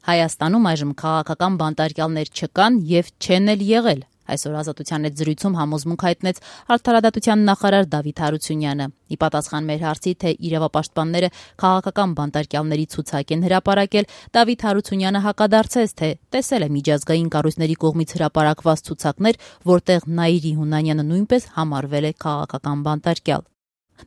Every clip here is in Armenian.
Հայաստանում այժմ քաղաքական բանտարկյալներ չկան եւ չեն էլ եղել։ Այսօր Ազատության հետ զրույցում համոզմունք հայտնեց Արդարադատության նախարար Դավիթ Հարությունյանը։ Ի պատասխան մեր հարցի, թե իրավապաշտպանները քաղաքական բանտարկյալների ցուցակ են հրապարակել, Դավիթ Հարությունյանը հակադարձեց, թե տեսել է միջազգային կառույցների կողմից հրապարակված ցուցակներ, որտեղ Նաիրի Հունանյանը նույնպես համարվել է քաղաքական բանտարկյալ։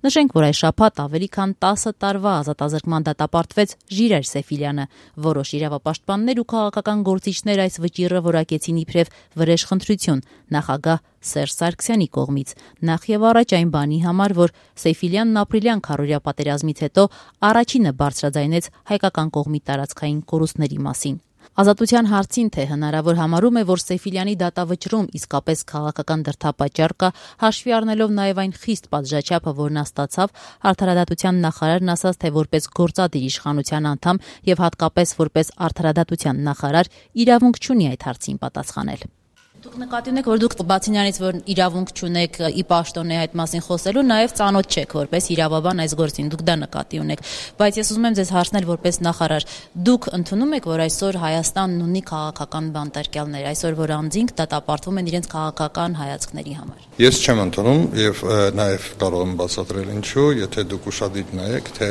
Նշենք, որ այս շաբաթ ավելի քան 10 տարվա ազատազրկման դատապարտվեց Ժիրայր Սեֆիլյանը։ Որոշ իրավապաշտպաններ ու քաղաքական գործիչներ այս վճիռը որակեցին իբրև վրեժխնդրություն նախագահ Սերժ Սարգսյանի կողմից։ Նախ եւ առաջ այն բանի համար, որ Սեֆիլյանն ապրիլյան քարոզիա պատերազմից հետո առաջինը բարձրաձայնեց հայկական կողմի տարածքային կորուստների մասին։ Ազատության հարցին, թե հնարավոր համարում է, որ Սեֆիլյանի դատավճռում իսկապես քաղաքական դրդապատճառ կա, հաշվի առնելով նաև այն խիստ պատժաչափը, որ նա ստացավ, Արդարադատության նախարարն ասաց, թե որպես գործադիր իշխանության անդամ եւ հատկապես որպես Արդարադատության նախարար իրավունք չունի այդ հարցին պատասխանել։ Դուք նկատի ունեք, որ դուք բացի նրանից, որ իրավունք չունեք ի պաշտոնե այդ մասին խոսելու, նաև ծանոթ չեք որպես իրավաբան այս գործին, դուք դա նկատի ունեք, բայց ես ուզում եմ ձեզ հարցնել որպես նախարար, դուք ընդունում եք, որ այսօր Հայաստանն ունի քաղաքական բանտարկյալներ, այսօր որ անձինք դատապարտվում են իրենց քաղաքական հայացքների համար։ Ես չեմ ընդունում եւ նաև կարող եմ բացատրել ինչու, եթե դուք ուշադիր նայեք, թե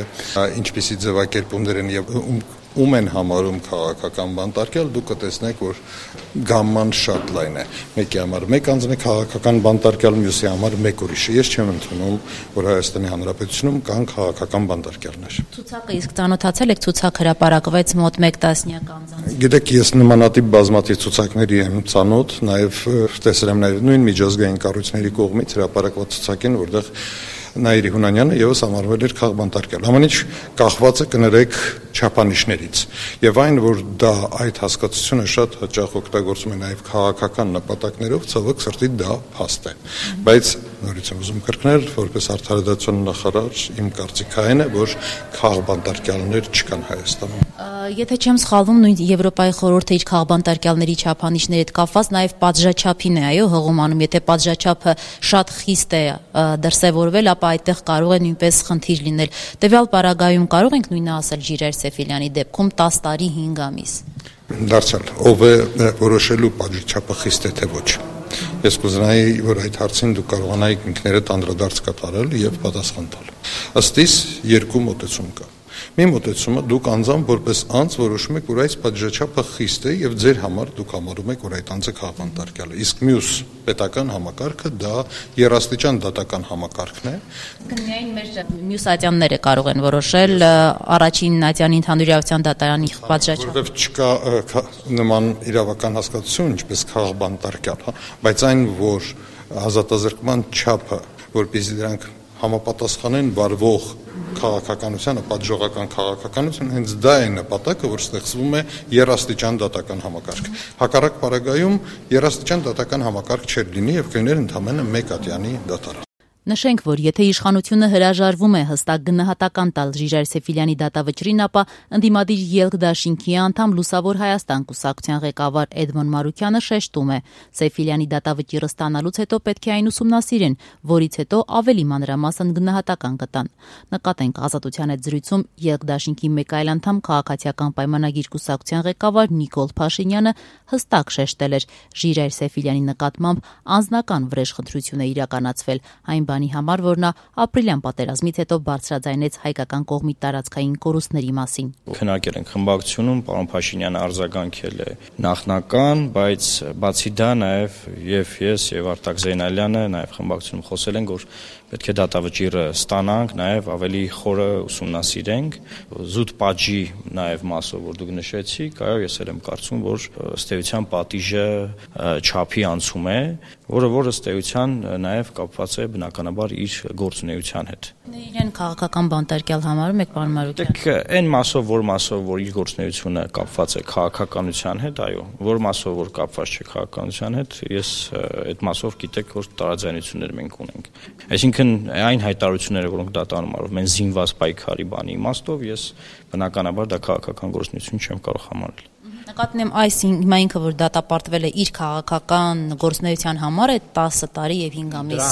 ինչպիսի ձևակերպումներ են եւ ում են համարում քաղաքական բանտարկյալ, դուք կտեսնեք, որ գամման շատ լայն է։ Մեկի համար մեկ անձն է քաղաքական բանտարկյալ, մյուսի համար մեկ ուրիշը։ Ես չեմ ընդունում, որ Հայաստանի Հանրապետությունում կան քաղաքական բանտարկյալներ։ Ցուցակը իսկ ծանոթացել եք, ցուցակ հրապարակվեց մոտ 1 տասնյակ անձանց։ Գիտեք, ես նմանատիպ բազմաթիվ ցուցակների եմ ծանոթ, նաև տեսել եմ նաև նույն միջազգային կառույցների կողմից հրապարակված ցուցակին, որտեղ Նաիրի Հունանյանը եւս համարվել էր քաղբանտարկյալ։ Ամեն ինչ կախված է կներեք չափանիշներից։ Եվ այն, որ դա այդ հասկացությունը շատ հաճախ օգտագործում է նաև քաղաքական նպատակներով, ցավոք սրտի դա փաստ է։ Բայց նորից եմ ուզում կրկնել, որպես Արդարադատության նախարար, իմ կարծիքը այն է, որ քաղբանտարկյալներ չկան Հայաստանում։ Եթե չեմ սխալվում, նույն Եվրոպայի խորհուրդը իր քաղբանտարկյալների չափանիշների հետ կապված նաև պատժաչափին է, այո, հղում, եթե պատժաչափը շատ խիստ է դրսևորվել, ապա այդտեղ կարող է նույնպես խնդիր լինել։ Տվյալ պարագայում կարող ենք նույնը ասել Ժիրայր Սեֆիլյանի դեպքում 10 տարի 5 ամիս։ Դարձյալ, ով է որոշելու պատժաչափը խիստ է թե ոչ։ Ես կուզենայի, որ այդ հարցին դուք կարողանայիք ինքներդ անդրադարձ կատարել եւ պատասխան տալ։ Ըստ իս երկու մոտեցում կա։ Մի մոտեցումը դուք անձամբ որպես անձ որոշում եք, որ այս պատժաչափը խիստ է եւ ձեր համար դուք համարում եք, որ այդ անձը քաղաքանտարկյալ է։ Իսկ մյուս պետական համակարգը դա երաստիճան դատական համակարգն է։ Միայն մեր մյուս ատյանները կարող են որոշել առաջին ատյանի ընդհանուր իրավասության դատարանի պատժաչափը։ Որովհետեւ չկա նման իրավական հասկացություն, ինչպես քաղաքանտարկյալ, բայց այն, որ ազատազրկման չափը, որպեսզի դրանք համապատասխանեն վարվող քաղաքականությանը, պատժողական քաղաքականություն, հենց դա է նպատակը, որ ստեղծվում է երաստիճան դատական համակարգ։ Հակառակ պարագայում երաստիճան դատական համակարգ չէր լինի եւ կլիներ ընդամենը մեկ ատյանի դատարան։ Նշենք, որ եթե իշխանությունը հրաժարվում է հստակ գնահատական տալ Ժիրայր Սեֆիլյանի դատավճռին, ապա ընդդիմադիր ԵԼԿ դաշինքի անդամ Լուսավոր Հայաստան կուսակցության ղեկավար Էդմոն Մարուքյանը շեշտում է. Սեֆիլյանի դատավճիռը ստանալուց հետո պետք է այն ուսումնասիրեն, որից հետո ավելի մանրամասն գնահատական կտան։ Նկատենք Ազատության հետ զրույցում ԵԼԿ դաշինքի մեկ այլ անդամ քաղաքացիական պայմանագիր կուսակցության ղեկավար Նիկոլ Փաշինյանը հստակ շեշտել էր Ժիրայր Սեֆիլյանի նկատմամբ անձնական վրեժխնդրություն է իրականացվել այն բանի համար, որ նա ապրիլյան պատերազմից հետո բարձրաձայնեց հայկական կողմի տարածքային կորուստների մասին։ Քննարկել ենք խմբակցությունում, պարոն Փաշինյանը արձագանքել է նախնական, բայց բացի դա նաև եւ ես եւ Արտակ Զեյնալյանը նաև խմբակցությունում խոսել ենք, որ պետք է դատավճիռը ստանանք, նաև ավելի խորը ուսումնասիրենք, զուտ պատժի նաև մասով, որ դուք նշեցիք, այո, ես էլ եմ կարծում, որ ըստ էության պատիժը չափի անցում է, որը ըստ էության նաև կապված է բնականաբար իր գործունեության հետ։ Իրեն քաղաքական բանտարկյալ համարում եք, պարոն Մարուկյան։ Այն մասով, որ իր գործունեությունը կապված է քաղաքականության հետ, այո, որ մասով, որ կապված չէ քաղաքականության հետ, ես այդ մասով գիտեք, որ տարաձայնություններ մենք ունենք։ Այսինքն այն հայտարարությունները, որոնք դատանում արով մենք զինված պայքարի բանի իմաստով, ես բնականաբար դա քաղաքական գործունեություն չեմ կարող համարել։ Նկատեմ այս հիմա ինքը որ դատապարտվել է իր քաղաքական գործունեության համար է 10 տարի եւ 5 ամիս։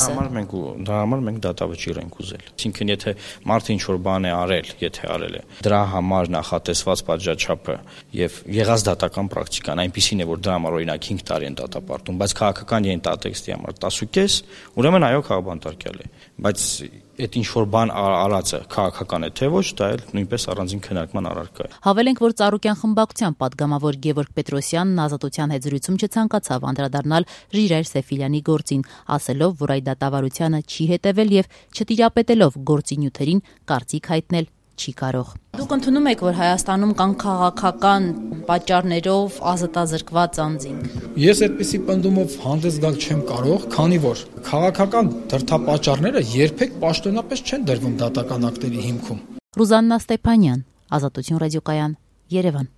Դրա համար մենք դատավճիռ ենք ուզել։ Այսինքն եթե մարդը ինչ որ բան է արել, եթե արել է, դրա համար նախատեսված պատժաչափը եւ եղած դատական պրակտիկան այնպեսին է, որ դրա համար օրինակ 5 տարի են դատապարտում, բայց քաղաքական ենթատեքստի համար 10.5, ուրեմն այո, քաղաքաբանտարկյալ է։ Բայց այդ ինչ որ բան արածը քաղաքական է թե ոչ, դա էլ նույնպես առանձին քննարկման առարկա է։ Հավելենք, որ Ծառուկյան խմբակցության падգամավոր Գևորգ Պետրոսյանն Ազատության հետ զրույցում չցանկացավ անդրադառնալ Ժիրայր Սեֆիլյանի գործին, ասելով, որ այդ դատավարությանը չի հետևել եւ չտիրապետելով գործի նյութերին կարծիք հայտնել չի կարող։ Դուք ընդունում եք, որ Հայաստանում կան քաղաքական պատճառներով ազատազրկված անձինք։ Ես այդպիսի պնդումով հանդես գալ չեմ կարող, քանի որ քաղաքական դրդապատճառները երբեք պաշտոնապես չեն դրվում դատական ակտերի հիմքում։ Ռուզաննա Ստեփանյան, Ազատություն ռադիոկայան, Երևան։